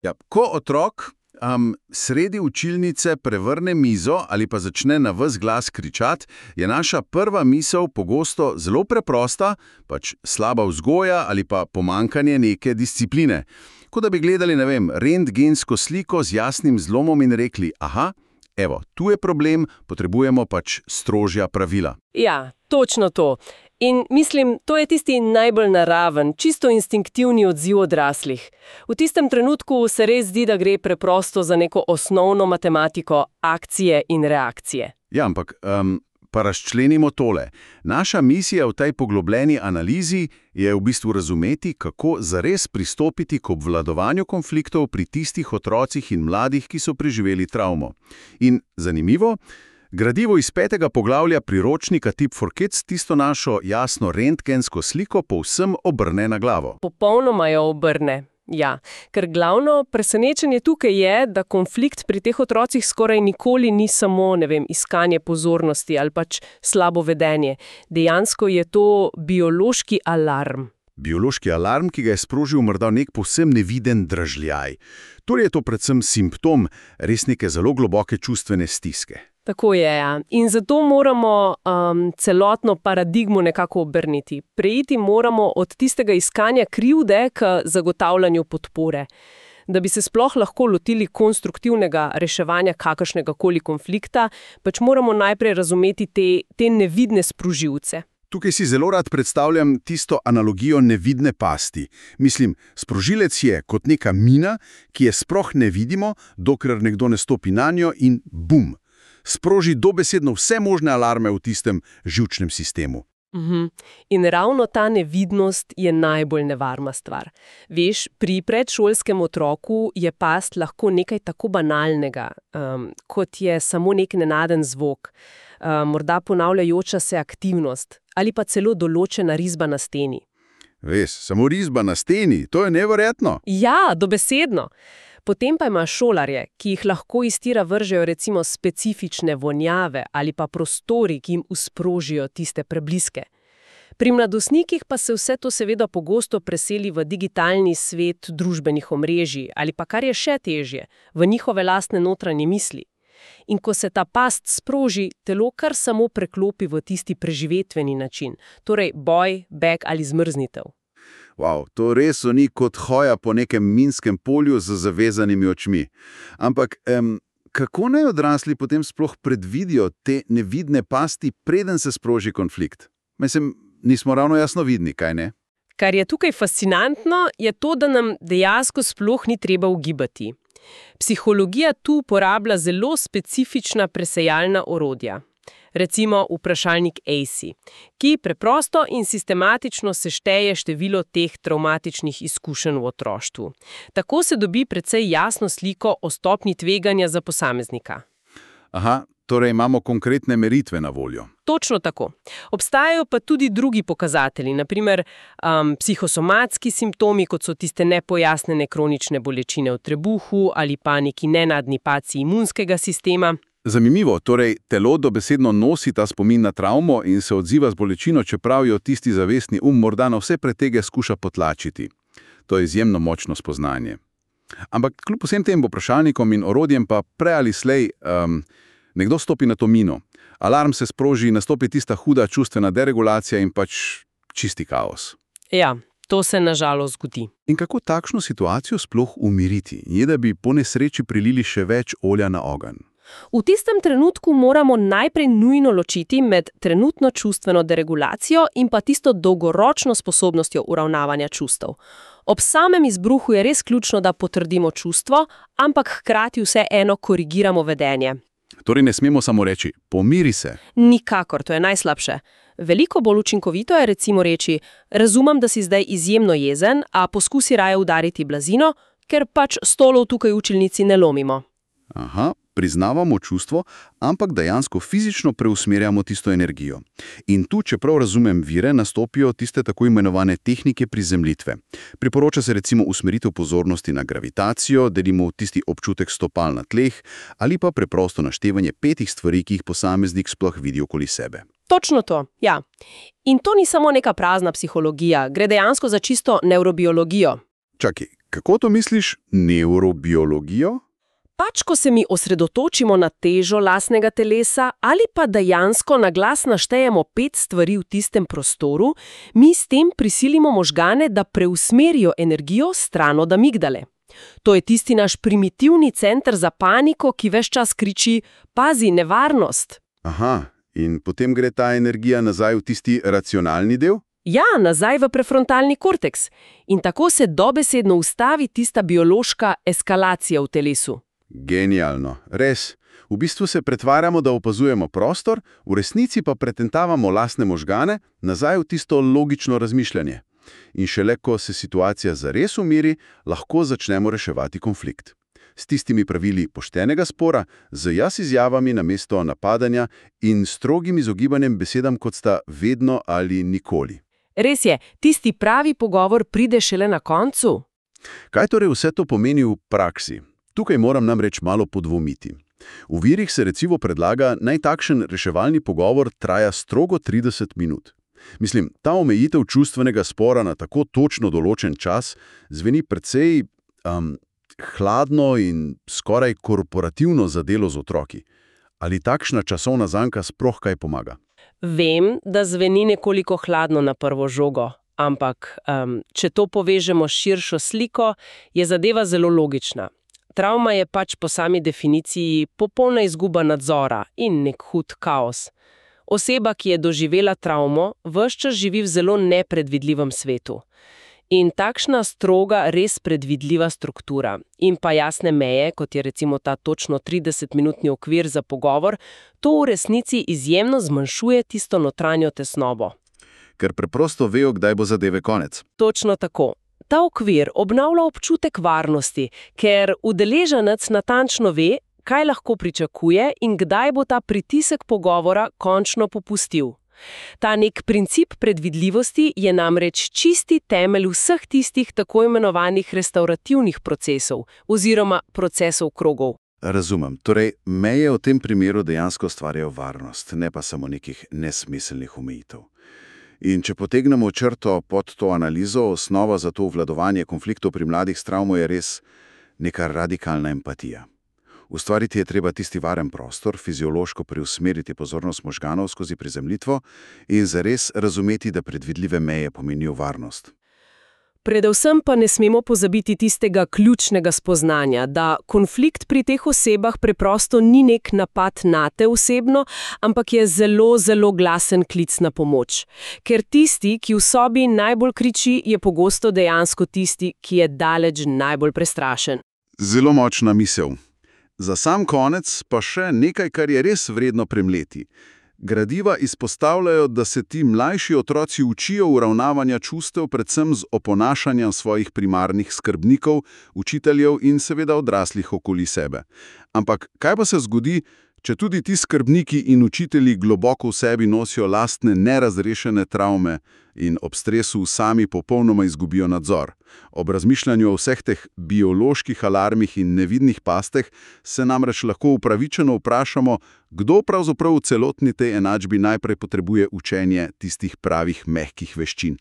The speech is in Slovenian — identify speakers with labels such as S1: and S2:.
S1: Ja, ko otrok sredi učilnice prevrne mizo ali pa začne na ves glas kričati, je naša prva misel pogosto zelo preprosta, pač slaba vzgoja ali pa pomanjkanje neke discipline. Kot da bi gledali, ne vem, rentgensko sliko z jasnim zlomom in rekli, aha, evo, tu je problem, potrebujemo pač strožja pravila.
S2: Ja, točno to. In mislim, to je tisti najbolj naraven, čisto instinktivni odziv odraslih. V tistem trenutku se res zdi, da gre preprosto za neko osnovno matematiko akcije in reakcije.
S1: Ja, ampak pa razčlenimo tole. Naša misija v tej poglobljeni analizi je v bistvu razumeti, kako zares pristopiti k obvladovanju konfliktov pri tistih otrocih in mladih, ki so preživeli travmo. In zanimivo, gradivo iz 5. poglavja priročnika Tip for Kids tisto našo jasno rentgensko sliko povsem obrne na glavo.
S2: Popolnoma jo obrne. Ja, ker glavno presenečenje tukaj je, da konflikt pri teh otrocih skoraj nikoli ni samo, iskanje pozornosti ali pač slabo vedenje. Dejansko je to biološki alarm.
S1: Biološki alarm, ki ga je sprožil morda nek povsem neviden dražljaj. Torej je to predvsem simptom res neke zelo globoke čustvene stiske.
S2: Tako je, ja. In zato moramo celotno paradigmo nekako obrniti. Preiti moramo od tistega iskanja krivde k zagotavljanju podpore. Da bi se sploh lahko lotili konstruktivnega reševanja kakršnega koli konflikta, pač moramo najprej razumeti te nevidne sprožilce.
S1: Tukaj si zelo rad predstavljam tisto analogijo nevidne pasti. Mislim, sprožilec je kot neka mina, ki je sploh ne vidimo, dokler nekdo ne stopi nanjo in bum! Sproži dobesedno vse možne alarme v tistem živčnem sistemu.
S2: In ravno ta nevidnost je najbolj nevarna stvar. Veš, pri predšolskem otroku je past lahko nekaj tako banalnega, kot je samo nek nenaden zvok, morda ponavljajoča se aktivnost ali pa celo določena risba na steni.
S1: Veš, samo risba na steni, to je neverjetno.
S2: Ja, dobesedno. Potem pa ima šolarje, ki jih lahko iz tira vržejo recimo specifične vonjave ali pa prostori, ki jim usprožijo tiste prebliske. Pri mladostnikih pa se vse to seveda pogosto preseli v digitalni svet družbenih omrežij ali pa, kar je še težje, v njihove lastne notranje misli. In ko se ta past sproži, telo kar samo preklopi v tisti preživetveni način, torej boj, beg ali zmrznitev.
S1: Wow, to res ni kot hoja po nekem minskem polju z zavezanimi očmi. Ampak kako naj odrasli potem sploh predvidijo te nevidne pasti, preden se sproži konflikt? Mislim, nismo ravno jasnovidni, kaj ne?
S2: Kar je tukaj fascinantno, je to, da nam dejansko sploh ni treba ugibati. Psihologija tu uporablja zelo specifična presejalna orodja. Recimo vprašalnik ACE, ki preprosto in sistematično sešteje število teh travmatičnih izkušenj v otroštvu. Tako se dobi precej jasno sliko o stopnji tveganja za posameznika.
S1: Aha, torej imamo konkretne meritve na voljo.
S2: Točno tako. Obstajajo pa tudi drugi pokazatelji, naprimer psihosomatski simptomi, kot so tiste nepojasnjene kronične bolečine v trebuhu ali pa neki nenadni padci imunskega sistema.
S1: Zanimivo, torej telo dobesedno nosi ta spomin na travmo in se odziva z bolečino, čeprav jo tisti zavestni morda na vse pretege skuša potlačiti. To je izjemno močno spoznanje. Ampak kljub vsem tem vprašalnikom in orodjem pa prej ali slej nekdo stopi na to mino. Alarm se sproži, nastopi tista huda čustvena deregulacija in pač čisti kaos.
S2: Ja, to se nažalost zgodi.
S1: In kako takšno situacijo sploh umiriti, je da bi po nesreči prilili še več olja na ogenj?
S2: V tistem trenutku moramo najprej nujno ločiti med trenutno čustveno deregulacijo in pa tisto dolgoročno sposobnostjo uravnavanja čustev. Ob samem izbruhu je res ključno, da potrdimo čustvo, ampak hkrati vseeno korigiramo vedenje.
S1: Torej ne smemo samo reči, pomiri se.
S2: Nikakor, to je najslabše. Veliko bolj učinkovito je recimo reči, razumem, da si zdaj izjemno jezen, a poskusi raje udariti blazino, ker pač stolov tukaj v učilnici ne lomimo.
S1: Aha, priznavamo čustvo, ampak dejansko fizično preusmerjamo tisto energijo. In tu, čeprav razumem vire, nastopijo tiste tako imenovane tehnike prizemljitve. Priporoča se recimo usmeritev pozornosti na gravitacijo, delimo tisti občutek stopal na tleh, ali pa preprosto naštevanje 5 stvari, ki jih posameznik sploh vidi okoli sebe.
S2: Točno to, ja. In to ni samo neka prazna psihologija, gre dejansko za čisto nevrobiologijo.
S1: Čakaj, Kako to misliš, nevrobiologijo?
S2: Pač, ko se mi osredotočimo na težo lastnega telesa ali pa dejansko na glas naštejemo 5 stvari v tistem prostoru, mi s tem prisilimo možgane, da preusmerijo energijo stran od amigdale. To je tisti naš primitivni center za paniko, ki ves čas kriči: pazi, nevarnost!
S1: Aha, in potem gre ta energija nazaj v tisti racionalni del?
S2: Ja, nazaj v prefrontalni korteks. In tako se dobesedno ustavi tista biološka eskalacija v telesu.
S1: Genialno, res. V bistvu se pretvarjamo, da opazujemo prostor, v resnici pa pretentavamo lastne možgane nazaj v tisto logično razmišljanje. In šele ko se situacija zares umiri, lahko začnemo reševati konflikt. S tistimi pravili poštenega spora, z jaz izjavami namesto napadanja in strogim izogibanjem besedam, kot sta vedno ali nikoli.
S2: Res je, tisti pravi pogovor pride šele na koncu.
S1: Kaj torej vse to pomeni v praksi? Tukaj moram namreč malo podvomiti. V virih se recimo predlaga, naj takšen reševalni pogovor traja strogo 30 minut. Mislim, ta omejitev čustvenega spora na tako točno določen čas zveni precej hladno in skoraj korporativno za delo z otroki. Ali takšna časovna zanka sploh kaj pomaga?
S2: Vem, da zveni nekoliko hladno na prvo žogo, ampak če to povežemo s širšo sliko, je zadeva zelo logična. Travma je pač po sami definiciji popolna izguba nadzora in nek hud kaos. Oseba, ki je doživela travmo, ves čas živi v zelo nepredvidljivem svetu. In takšna stroga, res predvidljiva struktura in pa jasne meje, kot je recimo ta točno 30-minutni okvir za pogovor, to v resnici izjemno zmanjšuje tisto notranjo tesnobo.
S1: Ker preprosto vejo, kdaj bo zadeve konec.
S2: Točno tako. Ta okvir obnavlja občutek varnosti, ker udeleženec natančno ve, kaj lahko pričakuje in kdaj bo ta pritisek pogovora končno popustil. Ta nek princip predvidljivosti je namreč čisti temelj vseh tistih tako imenovanih restaurativnih procesov oziroma procesov krogov.
S1: Razumem. Torej, meje v tem primeru dejansko ustvarjajo varnost, ne pa samo nekih nesmiselnih omejitev. In če potegnemo črto pod to analizo, osnova za to obvladovanje konfliktov pri mladih s travmo je res neka radikalna empatija. Ustvariti je treba tisti varen prostor, fiziološko preusmeriti pozornost možganov skozi prizemljitvo in zares razumeti, da predvidljive meje pomenijo varnost.
S2: Predvsem pa ne smemo pozabiti tistega ključnega spoznanja, da konflikt pri teh osebah preprosto ni nek napad nate osebno, ampak je zelo, zelo glasen klic na pomoč. Ker tisti, ki v sobi najbolj kriči, je pogosto dejansko tisti, ki je daleč najbolj prestrašen.
S1: Zelo močna misel. Za sam konec pa še nekaj, kar je res vredno premleti. Gradiva izpostavljajo, da se ti mlajši otroci učijo uravnavanja čustev predvsem z oponašanjem svojih primarnih skrbnikov, učiteljev in seveda odraslih okoli sebe. Ampak kaj pa se zgodi, če tudi ti skrbniki in učitelji globoko v sebi nosijo lastne nerazrešene travme in ob stresu sami popolnoma izgubijo nadzor? Ob razmišljanju o vseh teh bioloških alarmih in nevidnih pasteh se namreč lahko upravičeno vprašamo, kdo pravzaprav v celotni tej enačbi najprej potrebuje učenje tistih pravih mehkih veščin.